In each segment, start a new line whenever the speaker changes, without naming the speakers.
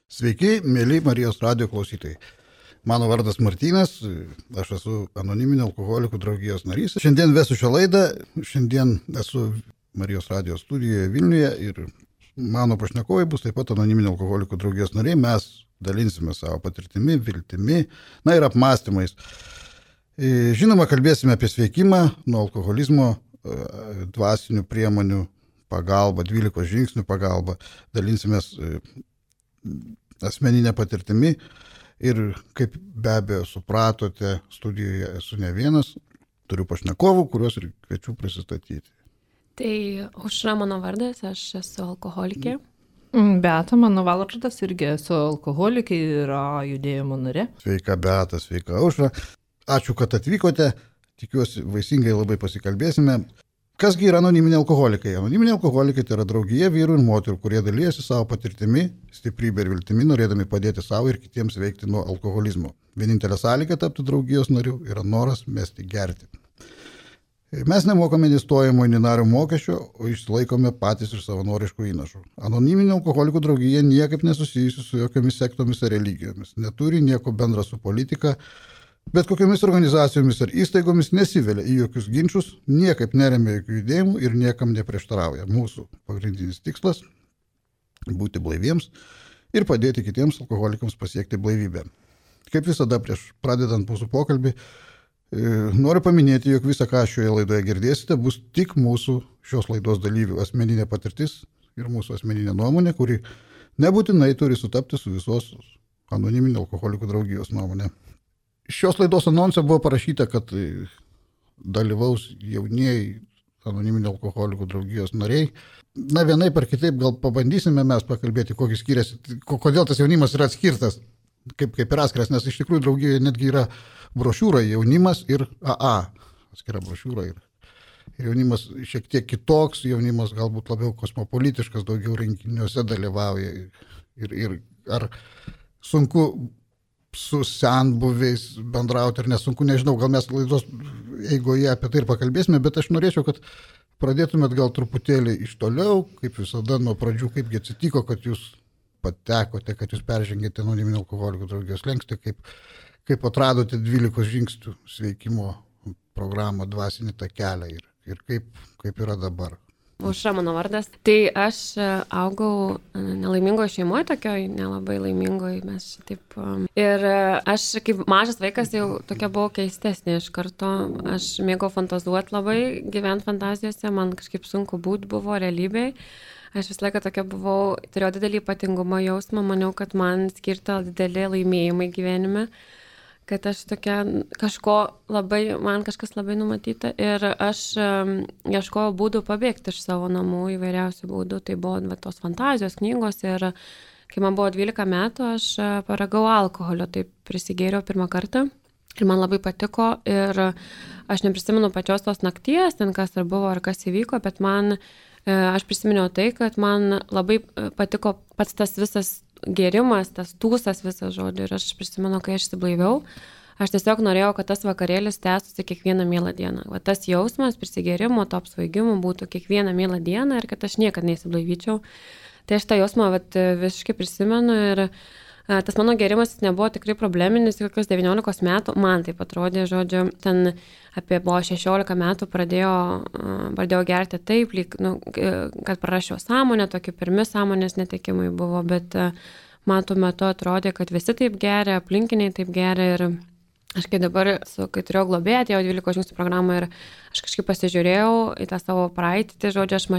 Sveiki, mėly Marijos radijo klausytojai. Mano vardas Martynas, aš esu anoniminio alkoholikų draugijos narys. Šiandien vesiu šią laidą, šiandien esu Marijos radijo studijoje Vilniuje ir mano pašnekovai bus taip pat anoniminio alkoholikų draugijos nariai. Mes dalinsime savo patirtimi, viltimi, ir apmąstymais. Žinoma, kalbėsime apie sveikimą nuo alkoholizmo, dvasinių priemonių pagalba, 12 žingsnių pagalba, dalinsimės asmeninę patirtimi ir kaip be abejo supratote, studijoje esu ne vienas, turiu pašnekovų, kuriuos ir kviečiu prisistatyti.
Tai Aušra mano vardas, aš esu alkoholikė.
Beata, mano vardas, irgi esu alkoholikė ir judėjimo narė.
Sveika Beata, sveika Aušra. Ačiū, kad atvykote, tikiuosi vaisingai labai pasikalbėsime. Kasgi yra anoniminiai alkoholikai? Anoniminiai alkoholikai tai yra draugija vyrų ir moterų, kurie dalyjasi savo patirtimi, stiprybė ir viltimi, norėdami padėti savo ir kitiems veikti nuo alkoholizmo. Vienintelė sąlyga tapti draugijos nariu yra noras mesti gerti. Mes nemokame nei stojimo, nei nario mokesčio, o išsilaikome patys iš savanoriškų įnašų. Anoniminė alkoholikų draugija niekaip nesusijusi su jokiomis sektomis ar religijomis, neturi nieko bendra su politika, bet kokiamis organizacijomis ar įstaigomis nesivelia į jokius ginčius, niekaip neremia jokių judėjimų ir niekam neprieštarauja. Mūsų pagrindinis tikslas – būti blaiviems ir padėti kitiems alkoholikams pasiekti blaivybę. Kaip visada prieš pradedant mūsų pokalbį, noriu paminėti, jog visą, ką šioje laidoje girdėsite, bus tik mūsų šios laidos dalyvių asmeninė patirtis ir mūsų asmeninė nuomonė, kuri nebūtinai turi sutapti su visos anoniminio alkoholikų draugijos nuomonė. Šios laidos anonse buvo parašyta, kad dalyvaus jaunieji anoniminio alkoholikų draugijos nariai. Vienaip ar kitaip gal pabandysime mes pakalbėti, kokį skiriasi, kodėl tas jaunimas yra atskirtas, kaip ir atskiras, nes iš tikrųjų draugijoje netgi yra brošiūra jaunimas ir AA. Atskira brošiūra ir jaunimas šiek tiek kitoks, jaunimas galbūt labiau kosmopolitiškas, daugiau renginiuose dalyvauja ir ar sunku su senbuviais bendrauti ir nesunku, nežinau, gal mes laidos eigoje apie tai ir pakalbėsime, bet aš norėčiau, kad pradėtumėt gal truputėlį iš toliau, kaip visada nuo pradžių, kaipgi atsitiko, kad jūs patekote, kad jūs peržengėte anoniminio alkoholikų draugijos slenkstį, kaip atradote 12 žingsnių sveikimo programą, dvasinį tą kelią ir kaip yra dabar.
Aušra mano vardas. Tai aš augau nelaimingoje šeimoje, tokioj nelabai laimingoje, mes taip. Ir aš kaip mažas vaikas jau tokia buvau keistesnė iš karto. Aš mėgau fantazuoti labai, gyventi fantazijose, man kažkaip sunku būti buvo realybėje. Aš visą laiką tokia buvau, turėjau didelį ypatingumo jausmą, maniau, kad man skirta didelį laimėjimai gyvenime, kad aš tokia man kažkas labai numatyta ir aš ieškojau būdų pabėgti iš savo namų įvairiausių būdų, tai buvo tos fantazijos, knygos ir kai man buvo 12 metų, aš paragau alkoholio, tai prisigėriau pirmą kartą ir man labai patiko ir aš neprisimenu pačios tos nakties, ten kas ar buvo ar kas įvyko, bet aš prisiminiau tai, kad man labai patiko pats tas visas gėrimas, tas tūsas visas žodžiu ir aš prisimenu, kai aš įsiblaiviau, aš tiesiog norėjau, kad tas vakarėlis tęstųsi kiekvieną mielą dieną. Va tas jausmas prisigėrimo, to apsvaigimo būtų kiekvieną mielą dieną ir kad aš niekad neįsiblaivyčiau. Tai aš tą jausmą visiškai prisimenu ir tas mano gėrimas nebuvo tikrai probleminis, kokius 19 metų, man taip atrodė, žodžiu, ten buvo 16 metų pradėjau gerti taip, kad prarasčiau sąmonę, tokie pirmi sąmonės netekimai buvo, bet man tuo metu atrodė, kad visi taip geria, aplinkiniai taip geria ir aš kai dabar, kai turėjau globėją, atėjau 12 žingsnių programą ir aš kažkaip pasižiūrėjau į tą savo praeitį, tai žodžiu, aš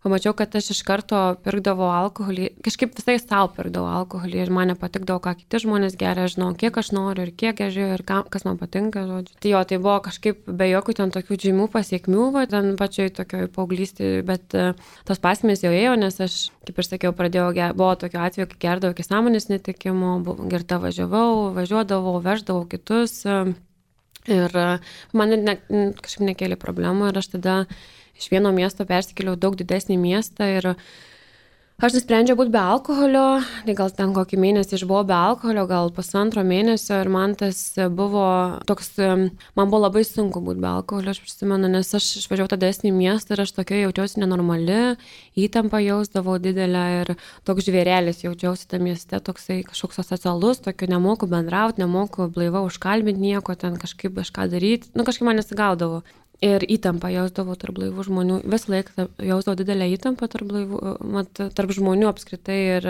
pamačiau, kad aš iš karto pirkdavau alkoholį, kažkaip visai savo pirkdavau alkoholį ir man nepatikdavo, ką kiti žmonės geria, žinau, kiek aš noriu ir kiek geržiu ir kas man patinka, žodžiu. Tai buvo kažkaip be jokių ten tokių žymių pasiekmių, ten pačioj tokioj paauglystėje, bet tos pasekmės jau ėjo, nes aš, kaip ir sakiau, buvo tokio atveju, kai gerdavau iki sąmonės netekimo, girta važiuodavau, veždavau kitus ir man kažkaip nekėlė problemų ir aš tada iš vieno miesto persikėliau daug didesnį miestą ir Aš nusprendžiau būti be alkoholio, tai gal ten kokį mėnesį išbuvau be alkoholio, gal 1,5 mėnesio ir man tas buvo toks, man buvo labai sunku būti be alkoholio, aš prisimenu, nes aš išvažiavau tada į miestą ir aš tokia jaučiausi nenormali, įtampą jausdavau didelę ir toks žvėrelis jaučiausi tame mieste, toksai kažkoks asocialus, tokio nemoku bendrauti, nemoku blaiva užkalbinti nieko, ten kažkaip kažką daryti, kažkaip man nesigaudavo. Ir įtampą jausdavau tarp blaivų žmonių. Visą laiką jausdavau didelę įtampą tarp žmonių apskritai ir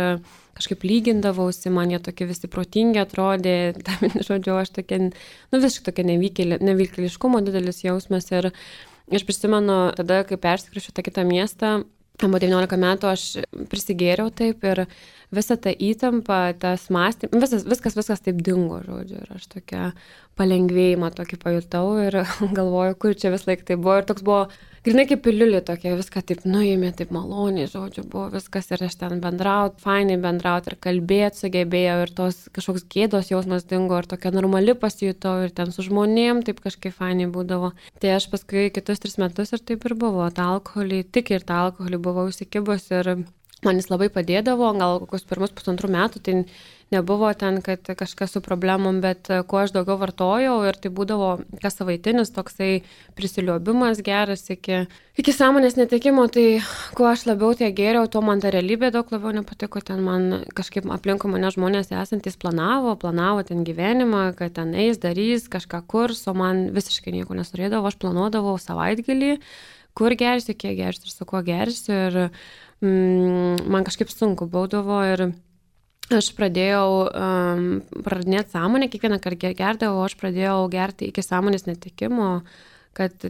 kažkaip lygindavausi, man jie tokie visi protingi atrodė, žodžiu, aš tokia, visiškai tokia nevykėliškumo didelis jausmas. Ir aš prisimenu tada, kai persikrausčiau tą kitą miestą, po 19 metų aš prisigėriau taip ir visą tą įtampą, tas mąstymas, viskas taip dingo, žodžiu, ir aš tokia palengvėjimą tokį pajutau ir galvoju, kur čia vis laik tai buvo ir toks buvo, grinai kaip piliulė tokia, viską taip nuėmė, taip maloniai, žodžiu, buvo viskas ir aš ten fainai bendraut ir kalbėti sugebėjau ir tos kažkoks gėdos jausmas dingo ir tokia normali pasijutau ir ten su žmonėm taip kažkaip fainai būdavo. Tai aš paskui kitus 3 metus ir taip ir buvo, tą alkoholį, tik ir tą alkoholį buvau įsikibus ir man jis labai padėdavo, gal kokius pirmus 1,5 metų, tai nebuvo ten, kad kažkas su problemom, bet kuo aš daugiau vartojau ir tai būdavo kas savaitinis toksai prisiliobimas geras iki sąmonės netekimo, tai kuo aš labiau tiek gėriau, tuo man ta realybė daug labiau nepatiko, ten man kažkaip aplinkui mane žmonės esantys planavo ten gyvenimą, kad ten eis, darys, kažką kurs, o man visiškai nieko nesurėdavo, aš planuodavau savaitgalį, kur gersiu, kiek gersiu ir su kuo gersiu ir man kažkaip sunku būdavo ir aš pradėjau praradinėti sąmonę, kiekvieną kartą gerdavau, aš pradėjau gerti iki sąmonės netekimo,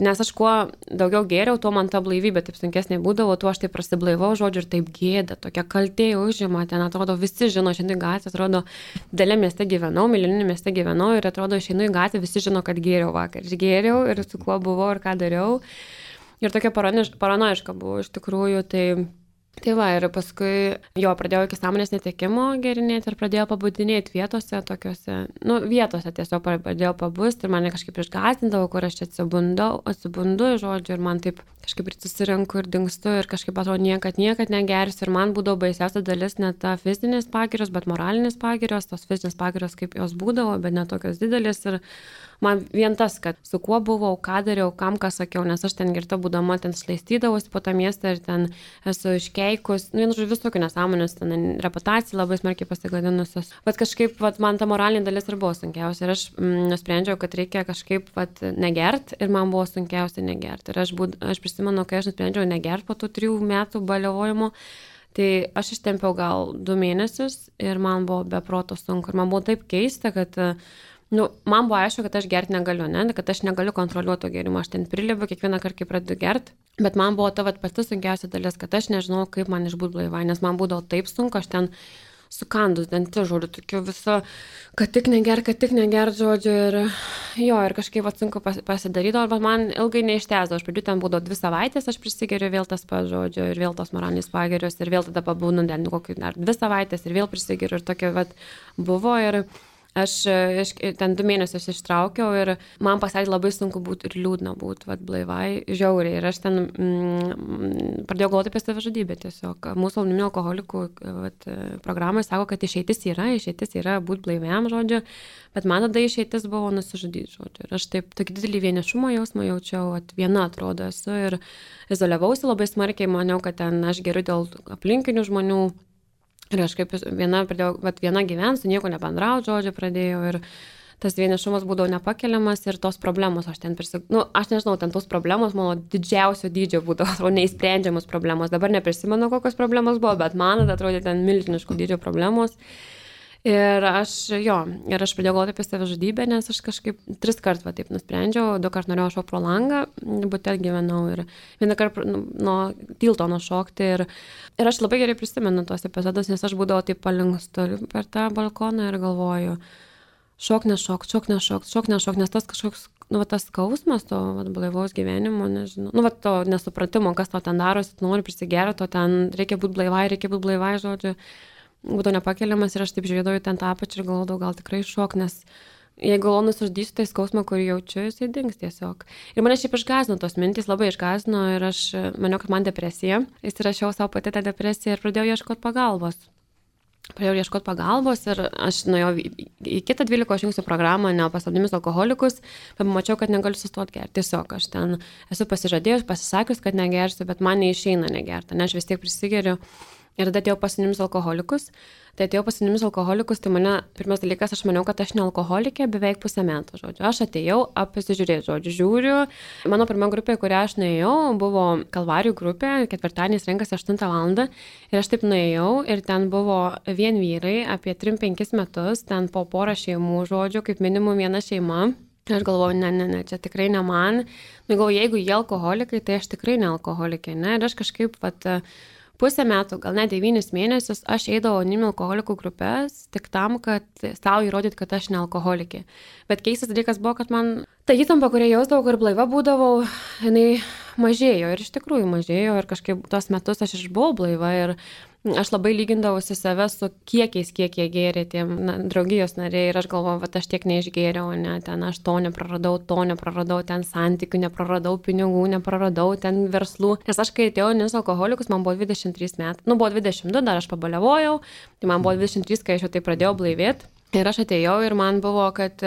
nes aš kuo daugiau gėriau, tuo man ta blaivybė taip sunkesnė būdavo, tuo aš taip prasiblaivau, žodžiu, ir taip gėda, tokia kaltė užima, ten atrodo visi žino, šiandien gatvė, atrodo, didelė mieste gyvenau, milijoninė mieste gyvenau ir atrodo, išeinu į gatvę, visi žino, kad gėriau vakar, aš gėriau ir su kuo buvau ir ką dariau. Ir tokia paranojiška buvo iš tikrųjų, tai va, ir paskui pradėjau iki sąmonės netekimo gerinėti ir pradėjau pabudinėti vietose, tokiuose, vietose tiesiog pradėjau pabusti ir mane kažkaip išgąsdindavo, kur aš čia atsibundu, žodžiu, ir man taip kažkaip susirenku ir dingstu ir kažkaip atrodo niekad negersiu ir man būdavo baisiausia dalis ne ta fizinės pagirios, bet moralinės pagirios, tos fizinės pagirios kaip jos būdavo, bet ne tokios didelės ir man vien tas, kad su kuo buvau, ką dariau, kam ką sakiau, nes aš ten girta būdama ten šlaistydavausi po tą miestą ir ten esu iškeikus, visokių nesąmonės, ten reputacija labai smarkiai pasigadinusios. Bet kažkaip man ta moralinė dalis ir buvo sunkiausia ir aš nusprendžiau, kad reikia kažkaip negert ir man buvo sunkiausia negert. Ir aš prisimenu, kai aš nusprendžiau negert po tų 3 metų baliavojimo, tai aš ištempiau gal 2 mėnesius ir man buvo be proto sunku ir man buvo taip keista, kad man buvo aišku, kad aš gerti negaliu, kad aš negaliu kontroliuoti to gėrimo, aš ten prilibu kiekvieną kartą, kai pradedu gerti, bet man buvo ta pati sunkiausia dalis, kad aš nežinau, kaip man išbūt blaivai, nes man būdavo taip sunku, aš ten sukandus dantį, žodžiu, tokiu visą, kad tik neger, žodžiu, ir kažkaip sunku pasidarydavo, bet man ilgai neištęsdavo, aš pradėjau ten būdavo 2 savaitės, aš prisigeriu vėl tas pats, žodžiu, ir vėl tos moralinės pagirios, ir vėl tada pabūnu kokį dar 2 savaitės, ir vėl prisigeriu, ir tokia buvo, ir aš ten 2 mėnesius ištraukiau ir man pasidarė labai sunku būti ir liūdna būti, blaivai, žiauriai. Ir aš ten pradėjau galvoti apie savižudybę tiesiog. Mūsų anoniminių alkoholikų programai sako, kad išeitis yra būti blaiviam, žodžiu, bet man tada išeitis buvo nusižudyti, žodžiu. Ir aš taip tokį didelį vienišumo jausmą jaučiau, viena atrodo esu ir izoliavausi labai smarkiai, maniau, kad ten aš geriu dėl aplinkinių žmonių. Ir aš kaip viena gyvensiu, nieko nebendrauti, žodžiu, pradėjau ir tas vienišumas būdavo nepakeliamas ir tos problemos, aš nežinau, ten tos problemos mano didžiausio dydžio būdavo, neįsprendžiamos problemos. Dabar neprisimenu, kokios problemos buvo, bet man atrodė ten milžiniškų dydžio problemos. Ir aš pradėjau galvoti apie savižudybę, nes aš kažkaip 3 kartus taip nusprendžiau, 2 kartus norėjau šokti pro langą, bute gyvenau ir 1 kartą nuo tilto nušokti ir aš labai gerai prisimenu tos epizodus, nes aš būdavau taip palinkstu per tą balkoną ir galvoju, šok, nes tas kažkoks, tas skausmas to blaivaus gyvenimo, nežinau, to nesupratimo, kas to ten darosi, nori prisigerti, to ten reikia būti blaivai, žodžiu. Būtų nepakeliamas ir aš taip žiūrėdavau ten tą apačią ir galvodavau, gal tikrai šok, nes jeigu alonu surdysiu, tai skausmą, kurį jaučiu, jisai dings tiesiog. Ir mane šiaip išgąsdino tos mintys, labai išgąsdino ir aš maniau, kad man depresija. Įsirašiau savo pati tą depresiją ir pradėjau ieškoti pagalbos. Ir aš nuėjau į kitą 12 žingsnių programą, Nepaslapdomis alkoholikus, bet pamačiau, kad negaliu sustoti gerti. Tiesiog aš ten esu pasižadėjus, pasisakius, kad negersiu, bet man neišeina negerti, nes aš vis tiek prisigeriu. Ir tada atėjau pas Anoniminius alkoholikus. Tai mane, pirmas dalykas, aš maniau, kad aš ne alkoholikė beveik pusę metų, žodžiu. Aš atėjau apsižiūrėti, žodžiu, žiūriu. Mano pirma grupė, kurią aš nuėjau, buvo Kalvarijų grupė, ketvirtadieniais renkasi 8 valandą. Ir aš taip nuėjau ir ten buvo vien vyrai apie 3-5 metus, ten po porą šeimų, žodžiu, kaip minimum viena šeima. Ir aš galvoju, ne, čia tikrai ne man. Galvoju, jeigu jie alkoholikai, tai aš tikrai ne alkoholikė, ne. Ir aš kažkaip pusę metų, gal net 9 mėnesius, aš eidavau Anoniminių alkoholikų grupės tik tam, kad savo įrodyti, kad aš ne alkoholikė. Bet keistas dalykas buvo, kad man ta įtampa, kurią jausdavau, kur blaiva būdavau, jinai mažėjo ir iš tikrųjų mažėjo ir kažkaip tos metus aš išbuvau blaiva ir aš labai lygindavausi save su kiekiais, kiek jie gėrė tie draugijos nariai ir aš galvojau, kad aš tiek neišgėriau, ne, ten aš to nepraradau, ten santykių nepraradau, pinigų nepraradau, ten verslų. Nes aš kai atėjau Anoniminius alkoholikus, man buvo 23 metai, buvo 22, dar aš pabaliavojau, tai man buvo 23, kai aš jau tai pradėjau blaivėti. Ir aš atėjau ir man buvo, kad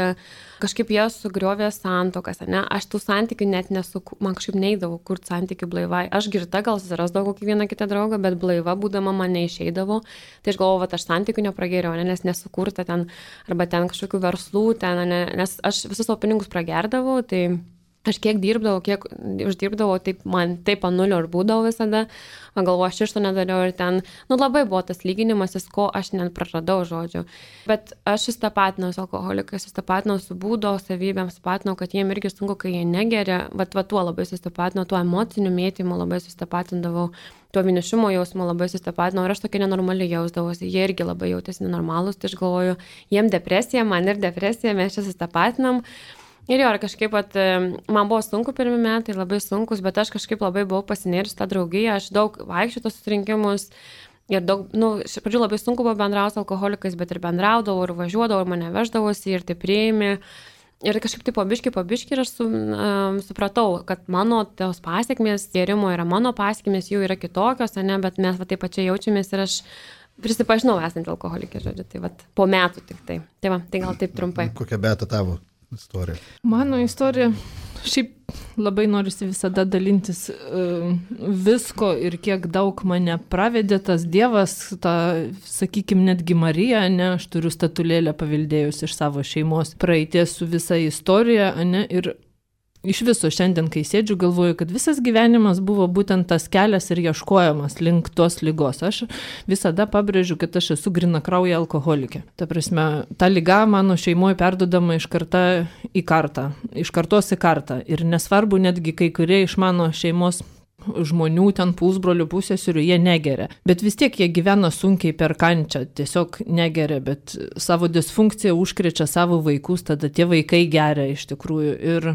kažkaip jie sugriovė santuokas, ne? Aš tų santykių net man kažkaip neidavau kurti santykių blaivai. Aš girta gal susirasdavau kokį vieną kitą draugą, bet blaiva būdama man neišeidavo. Tai aš galvojau, aš santykių nepragėriau, nes nesukurta ten, arba ten kažkokių verslų, nes aš visus savo pinigus pragerdavau, tai aš kiek dirbdavau, kiek uždirbdavau, taip man taip ant nulio ir būdavau visada. Man galvoju, aš iš to nedariau ir ten, labai buvo tas lyginimasis, ko aš net praradau, žodžiu. Bet aš sustapatinau su alkoholikais, sustapatinau su būdo savybėm, sustapatinau, kad jiem irgi sunku, kai jie negeria, bet tuo labai sustapatinau, tuo emociniu mėtymu labai sustapatindavau, tuo vienišumo jausmu labai sustapatinau ir aš tokia nenormaliai jausdavausi, jie irgi labai jautėsi nenormalūs, tai aš galvoju, jiem depresija, man ir depresija, mes čia sustapatinam. Ir jo, kažkaip man buvo sunku pirmi metai, labai sunkus, bet aš kažkaip labai buvau pasinėrusi tą draugiją, aš daug vaikščiau tos susirinkimus ir daug, iš pradžių labai sunku buvo bendrauti su alkoholikais, bet ir bendraudavau, ir važiuodavau, ir mane veždavosi, ir tai priėmė. Ir kažkaip tai po biškį ir aš supratau, kad mano tos pasiekmės gėrimo yra mano pasiekmės, jų yra kitokios, ne, bet mes taip pačiai jaučiamės ir aš prisipažinau esant alkoholikė, žodžiu, tai po metų tik tai. Tai gal taip trumpai.
Kokia Beata tavo istorija?
Mano istorija, šiaip labai norisi visada dalintis visko ir kiek daug mane pravedė tas Dievas, sakykime, netgi Marija, ne, aš turiu statulėlę paveldėjus iš savo šeimos praeities su visa istorija, ne, ir iš viso šiandien, kai sėdžiu, galvoju, kad visas gyvenimas buvo būtent tas kelias ir ieškojimas link tos ligos. Aš visada pabrėžiu, kad aš esu grynakraujė alkoholikė. Ta prasme, ta liga mano šeimoje perdodama iš kartos į kartą. Ir nesvarbu, netgi kai kurie iš mano šeimos žmonių, ten pusbrolių, pusėserių, jie negeria. Bet vis tiek jie gyvena sunkiai per kančią, tiesiog negeria, bet savo disfunkciją užkrečia savo vaikus, tada tie vaikai geria iš tikrųjų. Ir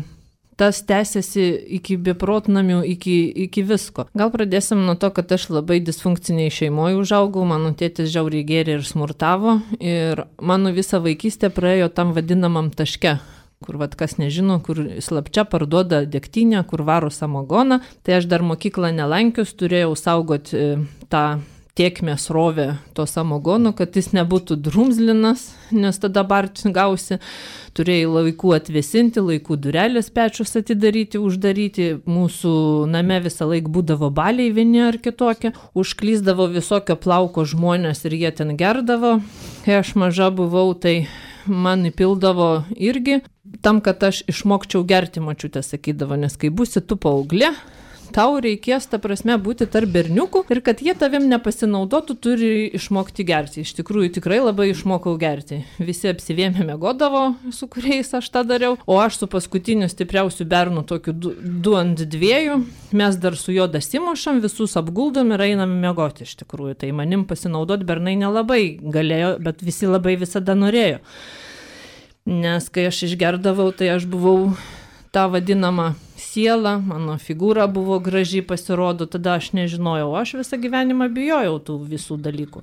tas tęsiasi iki beprotnamių, iki visko. Gal pradėsim nuo to, kad aš labai disfunkciniai šeimoje užaugau, mano tėtis žiauriai gėrė ir smurtavo ir mano visa vaikystė praėjo tam vadinamam taške, kur kas nežino, kur slapčia parduoda degtinę, kur varo samagoną. Tai aš dar mokyklą nelankius, turėjau saugoti tą tiekmės rovę to samogono, kad jis nebūtų drumzlinas, nes tada barčių gausi. Turėjai laikų atvėsinti, laikų durelės pečius atidaryti, uždaryti. Mūsų name visą laiką būdavo baliai vieni ar kitokie. Užklyzdavo visokio plauko žmonės ir jie ten gerdavo. Kai aš maža buvau, tai man įpildavo irgi. Tam, kad aš išmokčiau gerti, močiutė sakydavo, nes kai būsi tu paauglė, tau reikės, ta prasme, būti tarp berniukų ir kad jie tavim nepasinaudotų, turi išmokti gerti. Iš tikrųjų, tikrai labai išmokau gerti. Visi apsivėmė miegodavo, su kuriais aš tą dariau, o aš su paskutiniu stipriausiu bernu, tokiu 2 ant 2, mes dar su juo dasimušam, visus apguldom ir einam miegoti iš tikrųjų. Tai manim pasinaudoti bernai nelabai galėjo, bet visi labai visada norėjo. Nes kai aš išgerdavau, tai aš buvau tą vadinamą siela, mano figūra buvo graži, pasirodo, tada aš nežinojau, aš visą gyvenimą bijojau tų visų dalykų.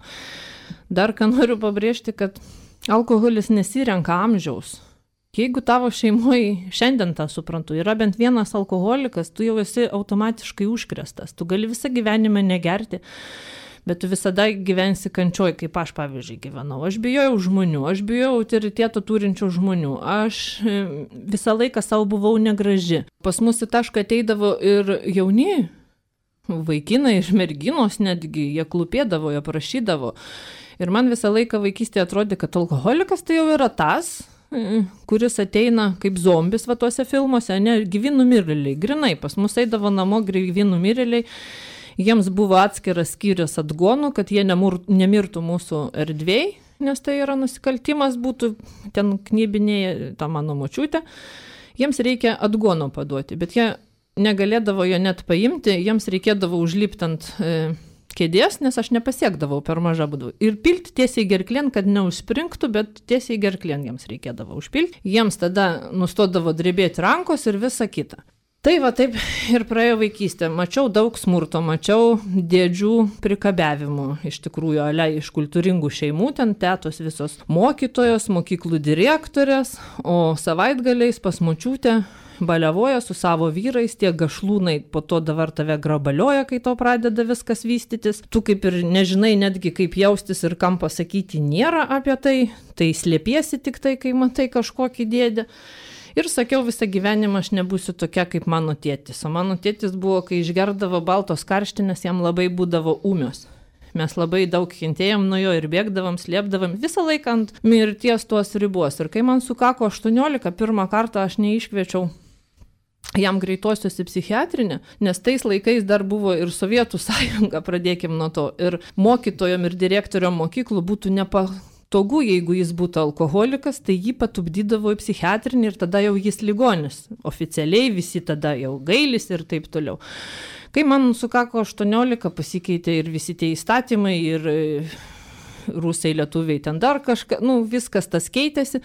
Dar ką noriu pabrėžti, kad alkoholis nesirenka amžiaus. Jeigu tavo šeimoje, šiandien tą suprantu, yra bent vienas alkoholikas, tu jau esi automatiškai užkrėstas. Tu gali visą gyvenimą negerti, bet tu visada gyvensi kančioj, kaip aš, pavyzdžiui, gyvenau. Aš bijojau žmonių, aš bijojau autoriteto turinčių žmonių, aš visą laiką savo buvau negraži. Pas mus į tašką ateidavo ir jauni vaikinai, iš merginos netgi, jie klūpėdavo, jie prašydavo. Ir man visą laiką vaikystėje atrodė, kad alkoholikas tai jau yra tas, kuris ateina kaip zombis va tuose filmuose, ne, gyvi numirėliai, grinai, pas mus eidavo namo gyvi numirėliai, jiems buvo atskiras skyrius atgonų, kad jie nemirtų mūsų erdvėj, nes tai yra nusikaltimas, būtų ten knybinėje tą mano močiutę, jiems reikia atgono paduoti, bet jie negalėdavo jo net paimti, jiems reikėdavo užlipti ant kėdės, nes aš nepasiekdavau per mažą būdų. Ir pilti tiesiai gerklien, kad neužspringtų, bet tiesiai gerklien jiems reikėdavo užpilti. Jiems tada nustodavo drebėti rankos ir visa kita. Tai va taip ir praėjo vaikystė. Mačiau daug smurto, mačiau dėdžių prikabiavimų, iš tikrųjų, iš kultūringų šeimų, ten tetos visos mokytojos, mokyklų direktorės, o savaitgaliais pas močiutę baliavoja su savo vyrais, tie gašlūnai po to dabar tave grabalioja, kai to pradeda viskas vystytis. Tu kaip ir nežinai netgi kaip jaustis ir kam pasakyti nėra apie tai, tai slėpiesi tik tai, kai matai kažkokį dėdę. Ir sakiau, visą gyvenimą aš nebūsiu tokia kaip mano tėtis. O mano tėtis buvo, kai išgerdavo baltos karštinės, jam labai būdavo ūmios. Mes labai daug kentėjom nuo jo ir bėgdavom, slėpdavom, visą laiką ant mirties tuos ribos. Ir kai man sukako 18, pirmą kartą aš neiškviečiau jam greitosios į psichiatrinę, nes tais laikais dar buvo ir Sovietų sąjunga, pradėkim nuo to. Ir mokytojom ir direktoriom mokyklų būtų nepatogu, jeigu jis būtų alkoholikas, tai jį patupdydavo į psichiatrinį ir tada jau jis ligonis. Oficialiai visi tada jau gailis ir taip toliau. Kai man sukako 18, pasikeitė ir visi tie įstatymai, ir rusai, lietuviai, ten dar kažką, viskas tas keitėsi.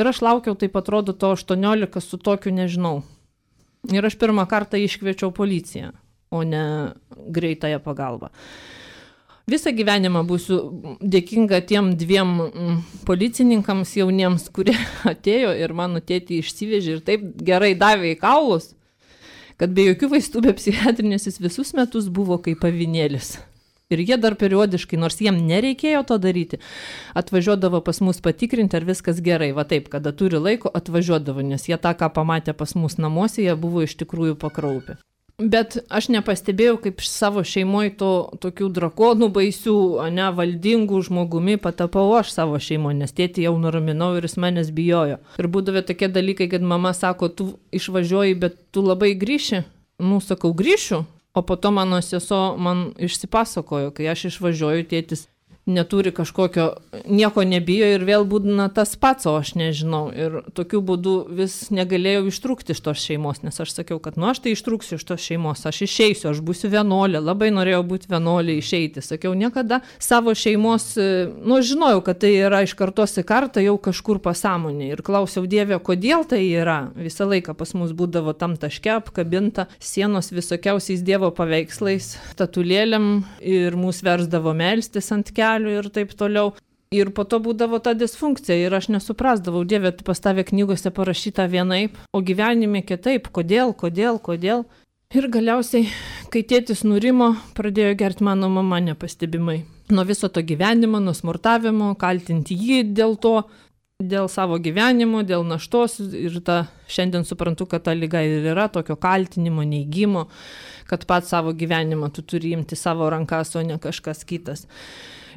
Ir aš laukiau, taip atrodo, to 18 su tokiu nežinau. Ir aš pirmą kartą iškviečiau policiją, o ne greitąją pagalbą. Visą gyvenimą būsiu dėkinga tiem 2 policininkams jauniems, kurie atėjo ir mano tėtį išsivežė ir taip gerai davė į kaulus, kad be jokių vaistų, be psichiatrinės jis visus metus buvo kaip avinėlis. Ir jie dar periodiškai, nors jiem nereikėjo to daryti, atvažiuodavo pas mus patikrinti, ar viskas gerai. Va taip, kada turi laiko, atvažiuodavo, nes jie tą, ką pamatė pas mus namuose, jie buvo iš tikrųjų pakraupę. Bet aš nepastebėjau, kaip savo šeimoje tokių drakonų baisių, valdingų žmogumi patapau aš savo šeimoje, nes tėtį jau nuraminau ir jis manęs bijojo. Ir būdavo tokie dalykai, kad mama sako, tu išvažiuoji, bet tu labai grįši. Sakau, grįšiu. O po to mano sesuo man išsipasakojo, kai aš išvažiuoju, tėtis neturi kažkokio, nieko nebijo ir vėl būdina tas pats, o aš nežinau. Ir tokiu būdu vis negalėjau ištrūkti iš tos šeimos, nes aš sakiau, kad aš tai ištrūksiu iš tos šeimos, aš išeisiu, aš būsiu vienuolė, labai norėjau būti vienuolė, išeiti. Sakiau, niekada savo šeimos, žinojau, kad tai yra iš kartos į kartą jau kažkur pasąmonė. Ir klausiau Dievę, kodėl tai yra. Visą laiką pas mus būdavo tam taške apkabinta sienos visokiausiais Dievo paveikslais, statulėlėm ir mūsų versdavo melstis ant kelių ir taip toliau. Ir po to būdavo ta disfunkcija ir aš nesuprasdavau, Dieve, tu pas tave knygose parašyta vienaip, o gyvenime kitaip, kodėl. Ir galiausiai, kai tėtis nurimo, pradėjo gerti mano mama nepastebimai. Nuo viso to gyvenimo, nuo smurtavimo, kaltinti jį dėl to, dėl savo gyvenimo, dėl naštos. Ir šiandien suprantu, kad ta liga ir yra tokio kaltinimo, neigimo, kad pats savo gyvenimą tu turi imti savo rankas, o ne kažkas kitas.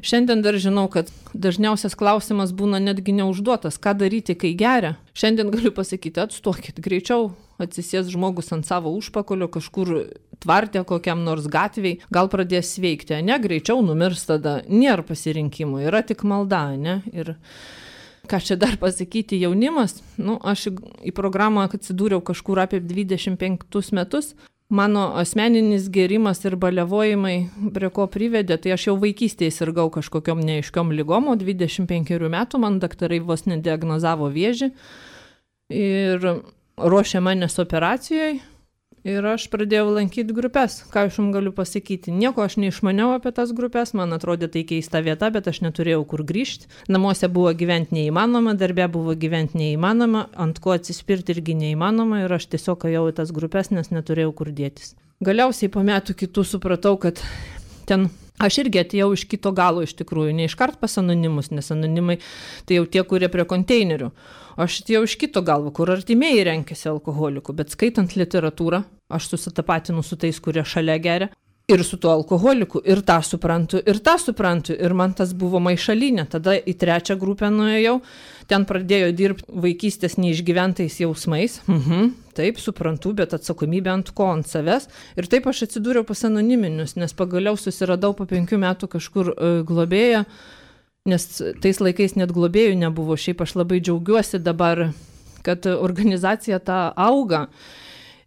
Šiandien dar žinau, kad dažniausias klausimas būna netgi neužduotas, ką daryti, kai geria. Šiandien galiu pasakyti, atstokit, greičiau atsisės žmogus ant savo užpakalio, kažkur tvarte kokiam nors gatviai, gal pradės sveikti, ne, greičiau numirs tada, nėra pasirinkimų, yra tik malda, ne, ir ką čia dar pasakyti jaunimas, aš į programą atsidūriau kažkur apie 25 metus. Mano asmeninis gėrimas ir baliavojimai prie ko privedė, tai aš jau vaikystėje sirgau kažkokiom neaiškiom ligom, o 25 metų man daktarai vos nediagnozavo vėžį ir ruošė manęs operacijoje Ir aš pradėjau lankyti grupės. Ką aš jums galiu pasakyti? Nieko aš neišmaniau apie tas grupės, man atrodė tai keista vieta, bet aš neturėjau kur grįžti. Namuose buvo gyventi neįmanoma, darbė buvo gyventi neįmanoma, ant ko atsispirti irgi neįmanoma ir aš tiesiog ėjau į tas grupės, nes neturėjau kur dėtis. Galiausiai po metų kitų supratau, kad ten aš irgi atėjau iš kito galo iš tikrųjų, ne iškart pas anonimus, nes anonimai tai jau tie, kurie prie konteinerių. Aš atėjau iš kito galvo, kur artimieji renkėsi alkoholikų, bet skaitant literatūrą, aš susitapatinu su tais, kurie šalia geria. Ir su tuo alkoholiku, ir tą suprantu, ir man tas buvo maišalinė. Tada į trečią grupę nuėjau, ten pradėjo dirbti vaikystės neišgyventais jausmais. Taip, suprantu, bet atsakomybė ant ko, ant savęs. Ir taip aš atsidūriau pas anoniminius, nes pagaliau susiradau po 5 metų kažkur globėją, nes tais laikais net globėjų nebuvo. Šiaip aš labai džiaugiuosi dabar, kad organizacija ta auga.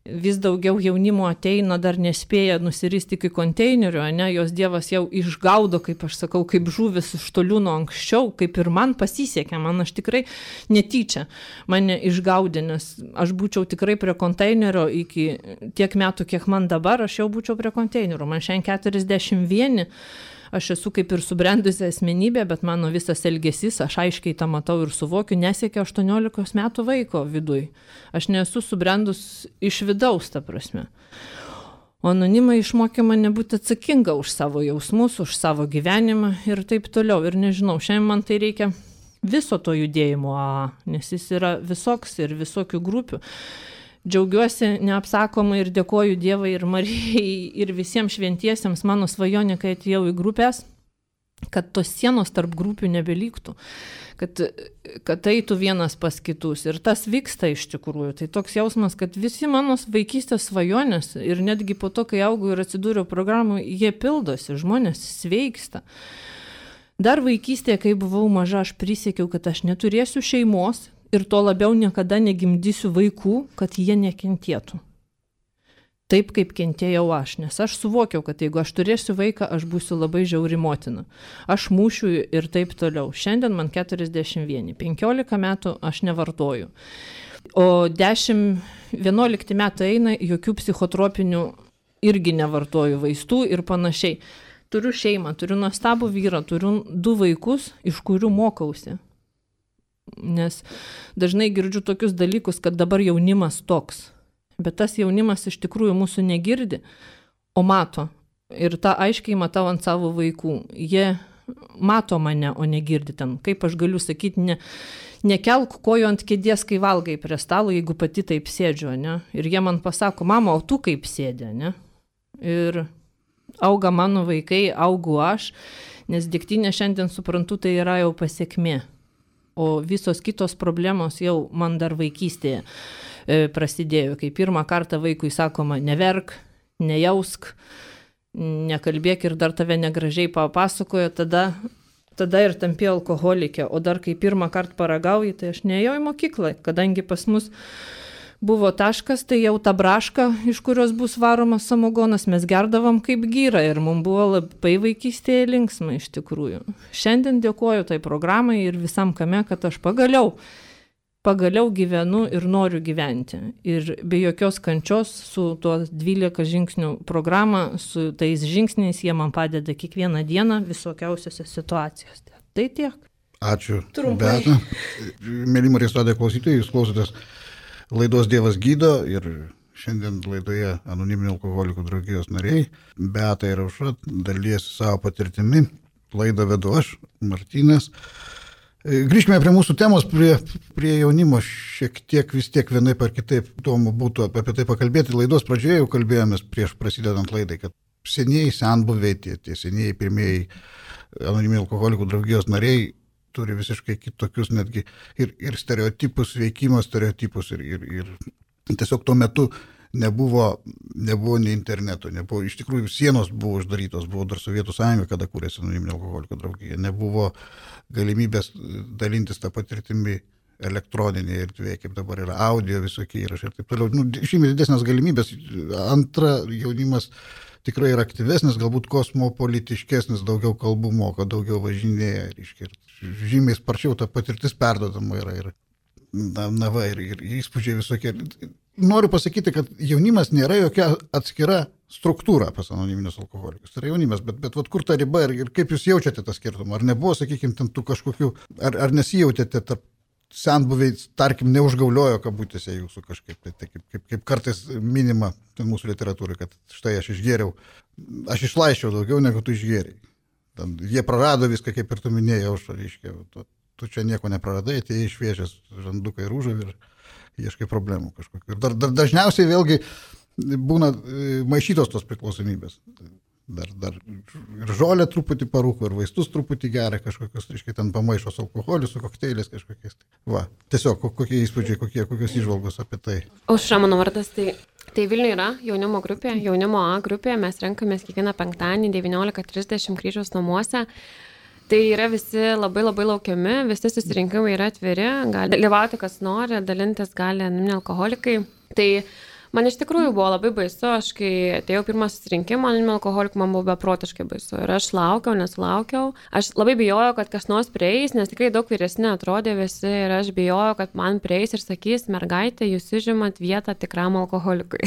Vis daugiau jaunimo ateina, dar nespėja nusiristi iki konteinerių, ne, jos Dievas jau išgaudo, kaip aš sakau, kaip žuvis iš tolių nuo anksčiau, kaip ir man pasisekė, man aš tikrai netyčia mane išgaudė, nes aš būčiau tikrai prie konteinerio iki tiek metų, kiek man dabar, aš jau būčiau prie konteinerio, man šiandien 41. Aš esu kaip ir subrendusi asmenybė, bet mano visas elgesys, aš aiškiai tą matau ir suvokiu, nesiekia 18 metų vaiko viduj. Aš nesu subrendus iš vidaus, ta prasme. O anonimai išmokė mane būti atsakinga už savo jausmus, už savo gyvenimą ir taip toliau. Ir nežinau, šiandien man tai reikia viso to judėjimo, nes jis yra visoks ir visokių grupių. Džiaugiuosi neapsakomai ir dėkoju Dievui ir Marijai ir visiems šventiesiems mano svajonė, kai atėjau į grupės, kad tos sienos tarp grupių nebelyktų, kad eitų vienas pas kitus. Ir tas vyksta iš tikrųjų. Tai toks jausmas, kad visi mano vaikystės svajonės ir netgi po to, kai augau ir atsidūriau programų, jie pildosi, žmonės sveiksta. Dar vaikystėje, kai buvau maža, aš prisiekiau, kad aš neturėsiu šeimos, ir to labiau niekada negimdysiu vaikų, kad jie nekentėtų. Taip, kaip kentėjau aš, nes aš suvokiau, kad jeigu aš turėsiu vaiką, aš būsiu labai žiauri motina. Aš mūšiu ir taip toliau. Šiandien man 41, 15 metų aš nevartoju. O 10-11 metų eina, jokių psichotropinių irgi nevartoju vaistų ir panašiai. Turiu šeimą, turiu nuostabų vyrą, turiu 2 vaikus, iš kurių mokausi. Nes dažnai girdžiu tokius dalykus, kad dabar jaunimas toks. Bet tas jaunimas iš tikrųjų mūsų negirdi, o mato. Ir tą aiškiai matau ant savo vaikų. Jie mato mane, o negirdi ten. Kaip aš galiu sakyti, nekelk kojų ant kėdės, kai valgai prie stalo, jeigu pati taip sėdžiu, ne? Ir jie man pasako, mama, o tu kaip sėdė, ne? Ir auga mano vaikai, augu aš, nes degtinė šiandien suprantu, tai yra jau pasiekmė. O visos kitos problemos jau man dar vaikystėje prasidėjo. Kai pirmą kartą vaikui sakoma, neverk, nejausk, nekalbėk ir dar tave negražiai papasakojo, tada ir tampi alkoholikė. O dar kai pirmą kartą paragauji, tai aš neėjau į mokyklą, kadangi pas mus buvo taškas, tai jau ta braška, iš kurios bus varomas samogonas, mes gerdavom kaip gyra ir mums buvo labai vaikystėje linksma iš tikrųjų. Šiandien dėkoju tai programai ir visam kame, kad aš pagaliau gyvenu ir noriu gyventi. Ir be jokios kančios su tuo 12 žingsnių programa, su tais žingsniais jie man padeda kiekvieną dieną visokiausiose situacijose. Tai tiek.
Ačiū.
Trumpai.
Beata. Mėly Marijos radijo klausytojai, jūs klausotės laidos Dievas gydo ir šiandien laidoje anoniminių alkoholikų draugijos nariai Beata ir Aušra dalyjasi savo patirtimi. Laidą vedu aš, Martynas. Grįžkime prie mūsų temos, prie jaunimo. Šiek tiek vis tiek vienaip ar kitaip įdomu būtų apie tai pakalbėti. Laidos pradžioje jau kalbėjomės prieš prasidedant laidai, kad senieji senbuviai, tie senieji pirmieji anoniminių alkoholikų draugijos nariai turi visiškai kitokius netgi ir stereotipus, veikimo stereotipus ir tiesiog tuo metu nebuvo nei interneto, nebuvo, iš tikrųjų sienos buvo uždarytos, buvo dar Sovietų Sąjunga, kada kūrėsi anoniminė alkoholikų draugija, nebuvo galimybės dalintis tą patirtimį elektroninėje erdvėje, kaip dabar yra audio visokie įrašai ir taip toliau. Žymiai didesnės galimybės. Antra, jaunimas tikrai yra aktyvesnis, galbūt kosmopolitiškesnis, daugiau kalbų moka, daugiau važinėja, reiškia, žymiai sparčiau ta patirtis perdodama yra. Ir Na va, ir įspūdžiai visokie. Noriu pasakyti, kad jaunimas nėra jokia atskira struktūra pas anoniminius alkoholikus. Tai yra jaunimas, bet vat kur ta riba ir kaip jūs jaučiate tą skirtumą? Ar nebuvo, sakykime, ten tų kažkokių, ar nesijautėte tarp senbuviai, tarkim, neužgauliojo kabutėse jūsų kažkaip, tai kaip kartais minima mūsų literatūrai, kad štai aš išgėriau, aš išlaiščiau daugiau negu tu išgėriai. Jie prarado viską, kaip ir tu minėjai, reiškia, tu čia nieko nepraradai, atėjai išviežęs žanduką ir užavį ir ieškai problemų kažkokių. Ir dar dažniausiai vėlgi būna maišytos tos priklausomybės. Dar ir žolę truputį parūko, ir vaistus truputį geria kažkokius, reiškia, ten pamaišo su alkoholiu, su kokteiliais kažkokiais. Va, tiesiog kokie įspūdžiai, kokios įžvalgos apie tai.
Aušra mano vardas, tai Vilniuje yra jaunimo grupė, jaunimo A grupė, mes renkamės kiekvieną penktadienį 19:30 Kryžiaus namuose. Tai yra visi labai laukiami, visi susirinkimai yra atviri, gali dalyvauti kas nori, dalintis gali anoniminiai alkoholikai. Tai man iš tikrųjų buvo labai baisu, aš kai atėjau pirmą susirinkimą anoniminių alkoholikų, man buvo beprotiškai baisu. Ir aš nesulaukiau. Aš labai bijojau, kad kas nors prieis, nes tikrai daug vyresni atrodė visi ir aš bijojau, kad man prieis ir sakys, mergaitė, jūs užimat vietą tikram alkoholikui.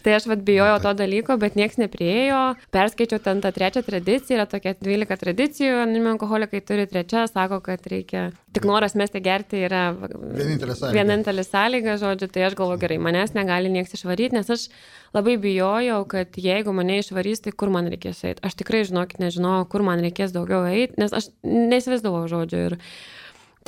Tai aš bijojau to dalyko, bet nieks nepriėjo. Perskaičiau ten tą trečią tradiciją, yra tokia 12 tradicijų, anoniminiai alkoholikai turi trečią, sako, kad reikia tik noras mesti gerti yra vienintelė sąlyga, žodžiu, tai aš galvoju, gerai, manęs negali nieks išvaryti, nes aš labai bijojau, kad jeigu mane išvarys, tai kur man reikės eiti. Aš tikrai, žinokit, nežinojau, kur man reikės daugiau eiti, nes aš neįsivaizdavau, žodžiu. Ir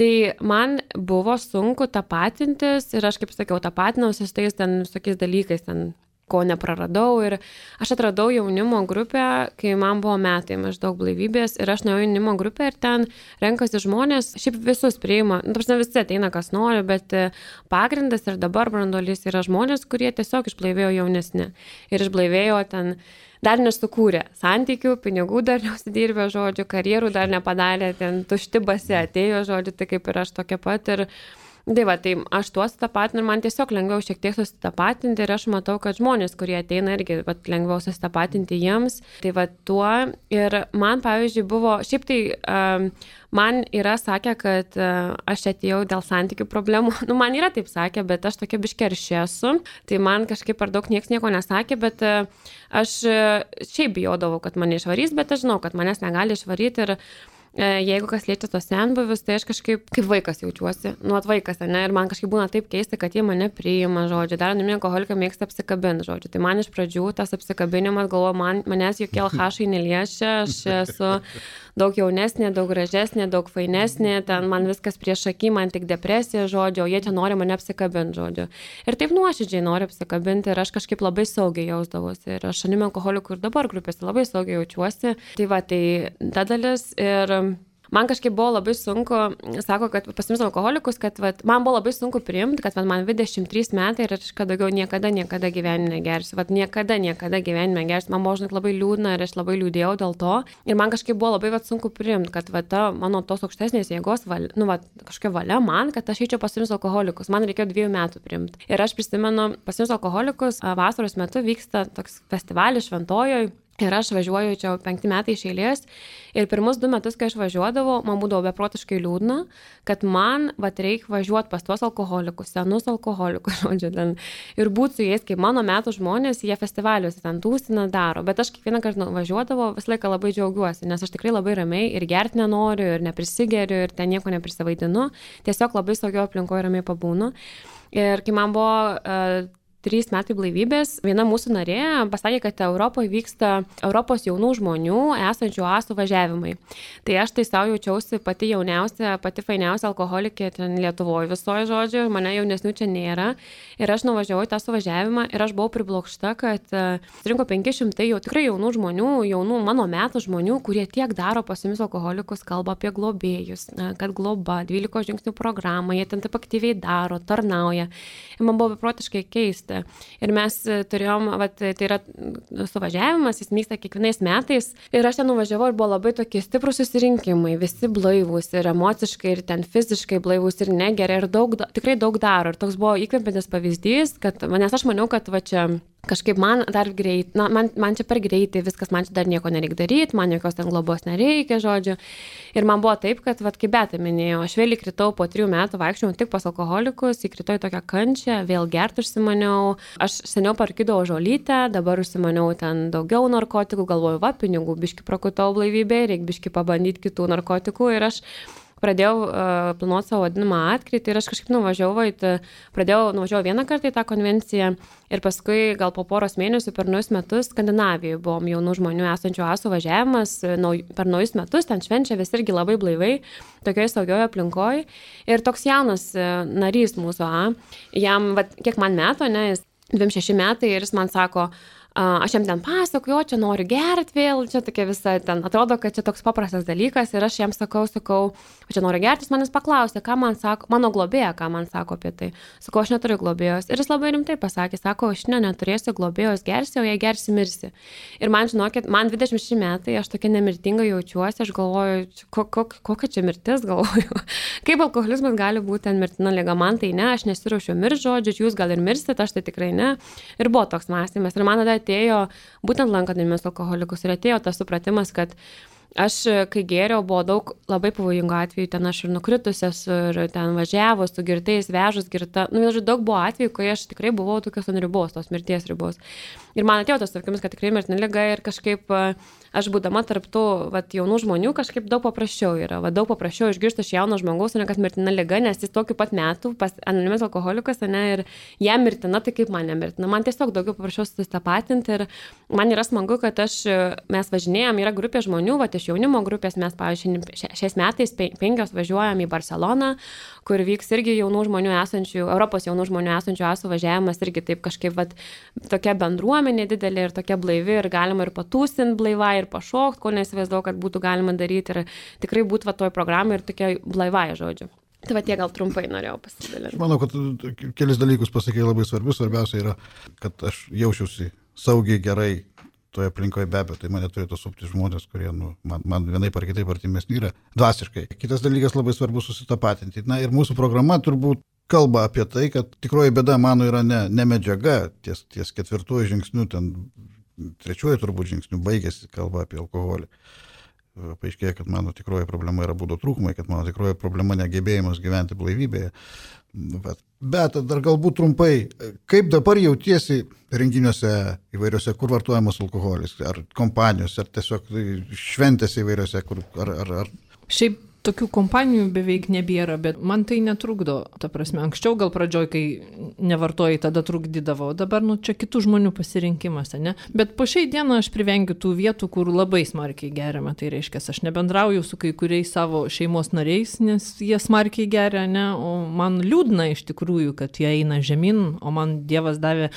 tai man buvo sunku tapatintis ir aš, kaip sakiau, tapatinausi su tais ten visokiais dalykais, ten ko nepraradau ir aš atradau jaunimo grupę, kai man buvo metai maždaug blaivybės ir aš nuėjau jaunimo grupę ir ten renkasi žmonės, šiaip visus priima, visi ateina kas nori, bet pagrindas ir dabar branduolys yra žmonės, kurie tiesiog išblaivėjo jaunesni ir išblaivėjo ten dar nesukūrė santykių, pinigų dar neusidirbė, žodžiu, karjerų dar nepadarė, ten tušti basi atėjo, žodžiu, tai kaip ir aš tokia pat ir tai aš tuos susitapatinu ir man tiesiog lengviau šiek tiek susitapatinti ir aš matau, kad žmonės, kurie ateina irgi lengviau susitapatinti jiems, tai tuo ir man, pavyzdžiui, buvo, šiaip tai man yra sakę, kad aš atėjau dėl santykių problemų, man yra taip sakę, bet aš tokia biškė arši esu, tai man kažkaip per daug nieks nieko nesakė, bet aš šiaip bijodavau, kad mane išvarys, bet aš žinau, kad manęs negali išvaryti ir jeigu kas liečia tos senbuvius, tai aš kažkaip kaip vaikas jaučiuosi, vaikas, ne, ir man kažkaip būna taip keista, kad jie mane priima, žodžiu, dar anoniminiai alkoholikai mėgsta apsikabinti, žodžiu, tai man iš pradžių tas apsikabinimas, galvoju, manęs jokie alkoholikai neliečia, aš esu daug jaunesnė, daug gražesnė, daug fainesnė, ten man viskas prieš akį, man tik depresija, žodžiu, o jie čia nori mane apsikabinti, žodžiu. Ir taip nuoširdžiai nori apsikabinti ir aš kažkaip labai saugiai jausdavosi ir aš anoniminių alkoholikų ir dabar grupėse labai saugiai jaučiuosi. Tai ta dalis ir man kažkaip buvo labai sunku, sako, kad pasiims alkoholikus, kad man buvo labai sunku priimti, kad man 23 metai ir aš daugiau niekada gyvenime negersiu. Niekada gyvenime negersiu. Man buvo, žinot, labai liūdna ir aš labai liūdėjau dėl to. Ir man kažkaip buvo labai sunku priimti, kad ta mano tos aukštesnės jėgos valia, kažkokia valia man, kad aš eičiau pasiims alkoholikus. Man reikėjo 2 metų priimti. Ir aš prisimenu, pasiims alkoholikus, vasaros metu vyksta toks festivalis Šventojoj. Ir aš važiuoju čia 5 metai iš eilės ir pirmus 2 metus, kai aš važiuodavau, man būdavo beprotiškai liūdna, kad man reikia važiuoti pas tuos alkoholikus, senus alkoholikus, žodžiu, ten, ir būti su jais, kaip mano metų žmonės, jie festivaliuose ten tūsina daro, bet aš kiekvieną kartą važiuodavau, visą laiką labai džiaugiuosi, nes aš tikrai labai ramiai ir gerti nenoriu, ir neprisigeriu, ir ten nieko neprisivaidinu, tiesiog labai saugio aplinkoje ramiai pabūnu. Ir kai man buvo 3 metai blaivybės, viena mūsų narė pasakė, kad Europoje vyksta Europos jaunų žmonių esančių A suvažiavimai. Tai aš tai savo jaučiausi pati jauniausia, pati fainiausia alkoholikė ten Lietuvoje visoje, žodžiu, mane jaunesnių čia nėra. Ir aš nuvažiavau į tą suvažiavimą ir aš buvau priblokšta, kad surinko 500 jau tikrai jaunų žmonių, jaunų mano metų žmonių, kurie tiek daro pasiims alkoholikus, kalba apie globėjus, kad globa, 12 žingsnių programą, jie ten taip aktyviai daro, tarnauja. Ir man buvo beprotiškai keista. Ir mes turėjom, tai yra suvažiavimas, jis vyksta kiekvienais metais. Ir aš ten nuvažiavau ir buvo labai tokie stiprus susirinkimai, visi blaivūs ir emociškai, ir ten fiziškai blaivūs ir negeria, ir tikrai daug daro. Ir toks buvo įkvepiantis pavyzdys, kad, nes aš maniau, kad čia kažkaip man dar greit, man čia per greitai, viskas, man čia dar nieko nereikia daryti, man jokios ten globos nereikia, žodžiu. Ir man buvo taip, kad, kaip Beta minėjo, aš vėl įkritau po 3 metų vaikščiojau tik pas alkoholikus, įkritau į tokią kančią, vėl gerti užsimaniau. Aš seniau parkydavau žolytę, dabar užsimaniau ten daugiau narkotikų, galvoju, pinigų, biški prakutau blaivybę, reikia biški pabandyti kitų narkotikų ir aš pradėjau planuoti savo vadinamą atkritį ir aš kažkaip nuvažiavau vieną kartą į tą konvenciją ir paskui gal po poros mėnesių per naujus metus Skandinavijoje buvom jaunų žmonių esančių asų važiavimas, per naujus metus ten švenčia visi irgi labai blaivai, tokioje saugioje aplinkoje ir toks jaunas narys mūsų, jam, kiek man metų, jis 26 metai ir jis man sako, aš jam ten pasakoju, čia noriu gerti vėl, čia tokia visa, ten atrodo, kad čia toks paprastas dalykas ir aš jam sakau, čia noriu gerti, jis manęs paklausė, ką man sako, mano globėja, ką man sako apie tai. Sakau, aš neturiu globėjos. Ir jis labai rimtai pasakė, sako, aš neturėsiu globėjos, gersi, o jei gersi, mirsi. Ir man, žinokit, man 26 metai, aš tokia nemirtinga jaučiuosi, aš galvoju, kokia čia mirtis, galvoju. Kaip alkoholizmas gali būti ten mirtina liga, man tai ne, aš nesiruošiu mirti, žodžiu, jūs gal ir mirsit, aš tai tikrai ne. Ir buvo toks mąstymas. Ir man tada atėjo, būtent lankantėmis alkoholikus, ir atėjo tas supratimas, kad aš, kai gėriau, buvo daug labai pavojingų atvejų, ten aš ir nukritusias, ir ten važiavus, su girtais, vežus girta, daug buvo atvejų, kai aš tikrai buvau tokios ant ribos, tos mirties ribos. Ir man atėjo tas suvokimas, kad tikrai mirtina liga ir kažkaip aš būdama tarp tų jaunų žmonių kažkaip daug paprasčiau yra, daug paprasčiau išgirsti iš jauno žmogaus, ne kad mirtina liga, nes jis tokiu pat metu pas anonimis alkoholikas, ir jam mirtina, tai kaip man nemirtina. Man tiesiog daugiau paprasčiau susitapatinti ir man yra smagu, kad mes važinėjom, yra grupė žmonių, iš jaunimo grupės mes, pavyzdžiui, šiais metais 5 važiuojam į Barceloną, kur vyks irgi jaunų žmonių esančių, Europos jaunų žmonių esančių asų važiavimas, irgi taip kažkaip tokia bendruomenė didelė ir tokia blaivi ir galima ir patūsinti blaivai ir pašokti, ko neįsivaizduoju, kad būtų galima daryti ir tikrai būtų toj programai ir tokia blaivai, žodžiu. Tai tie gal trumpai norėjau pasidalinti.
Manau, kad kelis dalykus pasakė labai svarbius. Svarbiausia yra, kad aš jaučiausi saugiai, gerai toje aplinkoje, be abejo, tai mane turėtų supti žmonės, kurie man vienaip ar kitaip artimesni yra dvasiškai. Kitas dalykas labai svarbu susitapatinti. Ir mūsų programa turbūt kalba apie tai, kad tikroji bėda mano yra ne medžiaga, ties 4 žingsniu, ten 3 turbūt žingsniu baigėsi kalba apie alkoholį. Paaiškėjo, kad mano tikroji problema yra būdo trūkumai, kad mano tikroji problema negebėjimas gyventi blaivybėje. Bet dar galbūt trumpai, kaip dabar jautiesi renginiuose įvairiuose, kur vartojamas alkoholis, ar kompanijose, ar tiesiog šventėse įvairiuose, ar...
Šiaip tokių kompanijų beveik nebėra, bet man tai netrukdo. Ta prasme, anksčiau gal pradžioj, kai nevartojai, tada trukdydavo, dabar čia kitų žmonių pasirinkimas, ne? Bet po šiai dieną aš privengiu tų vietų, kur labai smarkiai geriama. Tai reiškia, aš nebendrauju su kai kuriais savo šeimos nariais, nes jie smarkiai geria, ne? O man liūdna iš tikrųjų, kad jie eina žemyn, o man Dievas davė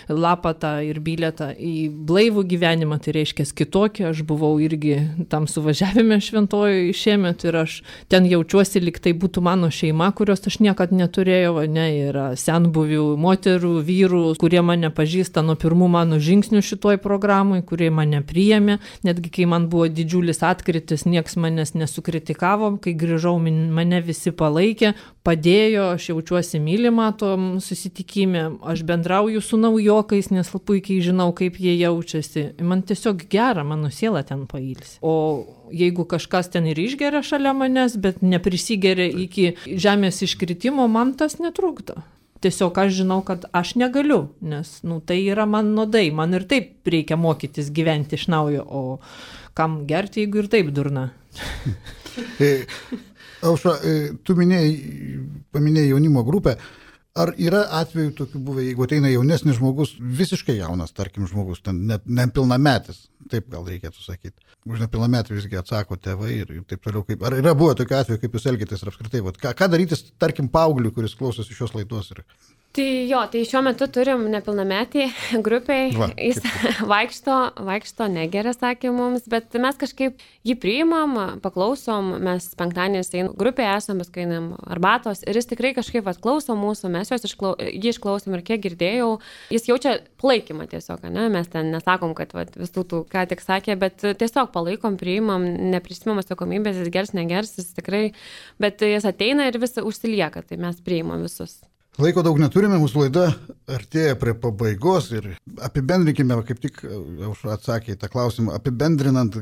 lapatą ir bilietą į blaivų gyvenimą. Tai reiškia, kitokį, aš buvau irgi tam suvažiavime Šventojoje šiemet ir aš ten jaučiuosi, lyg tai būtų mano šeima, kurios aš niekad neturėjau, yra senbuvių moterų, vyrų, kurie mane pažįsta nuo pirmų mano žingsnių šitoj programai, kurie mane priėmė, netgi kai man buvo didžiulis atkritis, nieks manęs nesukritikavo, kai grįžau, mane visi palaikė, padėjo, aš jaučiuosi mylimą tom susitikime, aš bendrauju su naujokais, nes puikiai žinau, kaip jie jaučiasi. Man tiesiog gera, mano siela ten pailsi. O jeigu kažkas ten ir išgeria šalia manęs, bet neprisigeria iki žemės iškritimo, man tas netrukdo. Tiesiog aš žinau, kad aš negaliu, nes tai yra man nuodai, man ir taip reikia mokytis gyventi iš naujo, o kam gerti, jeigu ir taip durna.
Aušra, tu paminėjai jaunimo grupę. Ar yra atvejų tokių buvę, jeigu ateina jaunesnis žmogus, visiškai jaunas, tarkim, žmogus, nepilnametis, taip gal reikėtų sakyti. Už nepilnametį visgi atsako tėvai ir taip toliau. Ar yra buvę tokių atvejų, kaip jūs elgitės ir apskritai? Ką daryti, tarkim, paaugliui, kuris klausosi šios laidos?
Tai šiuo metu turim nepilnametį grupiai, jis vaikšto negeria, sakė mums, bet mes kažkaip jį priimam, paklausom, mes penktadieniais grupėje esam, mes kainam arbatos ir jis tikrai kažkaip klauso mūsų, mes jį išklausom ir kiek girdėjau, jis jaučia palaikymą tiesiog, ne? Mes ten nesakom, kad visų tų, ką tik sakė, bet tiesiog palaikom, priimam, neprisimam atsakomybės, jis gers, negers, jis tikrai, bet jis ateina ir vis užsilieka, tai mes priimam visus.
Laiko daug neturime, mūsų laida artėja prie pabaigos ir apibendrinkime, kaip tik Aušra atsakė į tą klausimą, apibendrinant,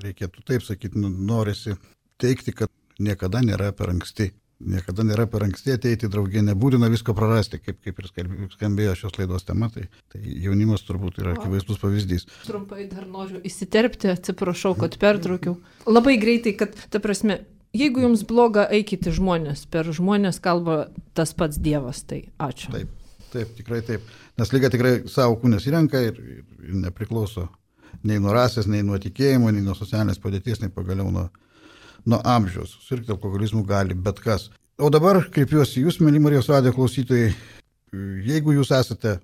reikėtų taip sakyti, norisi teikti, kad niekada nėra per anksti. Niekada nėra per anksti ateiti į draugiją, nebūtina visko prarasti, kaip ir skambėjo šios laidos tema, tai jaunimas turbūt yra akivaizdus pavyzdys.
Trumpai dar noriu įsiterpti, atsiprašau, kad pertraukiau. Labai greitai, kad, ta prasme, jeigu jums bloga, eikite žmonės, per žmonės kalba tas pats Dievas, tai ačiū.
Taip, tikrai taip, nes lyga tikrai savo kūnės įrenka ir nepriklauso nei nuo rasės, nei nuo tikėjimo, nei nuo socialinės padėties, nei pagaliau nuo amžiaus. Susirgti alkoholizmų gali bet kas. O dabar kreipiuosi jūs, mėly Marijos radijo klausytojai, jeigu jūs esate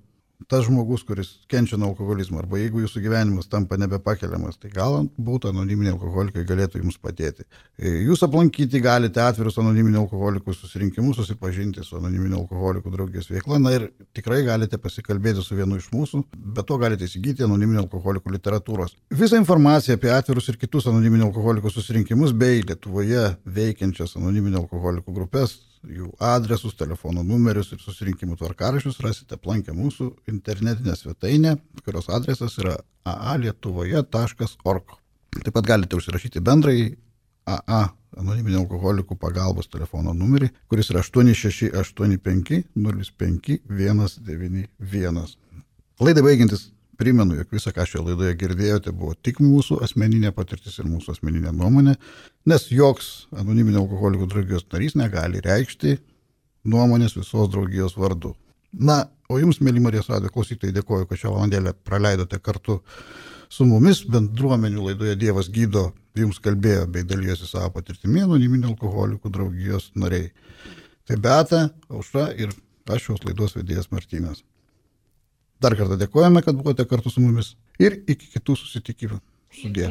tas žmogus, kuris kenčia nuo alkoholizmo, arba jeigu jūsų gyvenimas tampa nebepakeliamas, tai galbūt anoniminiai alkoholikai galėtų jums padėti. Jūs aplankyti galite atvirus anoniminių alkoholikų susirinkimus, susipažinti su anoniminių alkoholikų draugijos veikla, na ir tikrai galite pasikalbėti su vienu iš mūsų, bet to galite įsigyti anoniminių alkoholikų literatūros. Visą informaciją apie atvirus ir kitus anoniminių alkoholikų susirinkimus bei Lietuvoje veikiančias anoniminių alkoholikų grupės, jų adresus, telefono numerius ir susirinkimų tvarkaraščius rasite aplankę mūsų internetinę svetainę, kurios adresas yra aalietuvoje.org. Taip pat galite užsirašyti bendrąjį AA anoniminių alkoholikų pagalbos telefono numerį, kuris yra 8685 05 191. Laidai baigiantis, primenu, jog visą, ką šioje laidoje girdėjote, buvo tik mūsų asmeninė patirtis ir mūsų asmeninė nuomonė, nes joks anoniminių alkoholikų draugijos narys negali reikšti nuomonės visos draugijos vardu. Na, o jums, mėly Marijos radijo klausytojai, dėkoju, kad šią valandėlę praleidote kartu su mumis. Bendruomenių laidoje Dievas gydo jums kalbėjo bei dalyjosi savo patirtimi anoniminių alkoholikų draugijos nariai. Tai Beata, Aušra ir aš šios laidos vedėjas Martynas. Dar kartą dėkojame, kad buvote kartu su mumis ir iki kitų susitikimų. Sudie.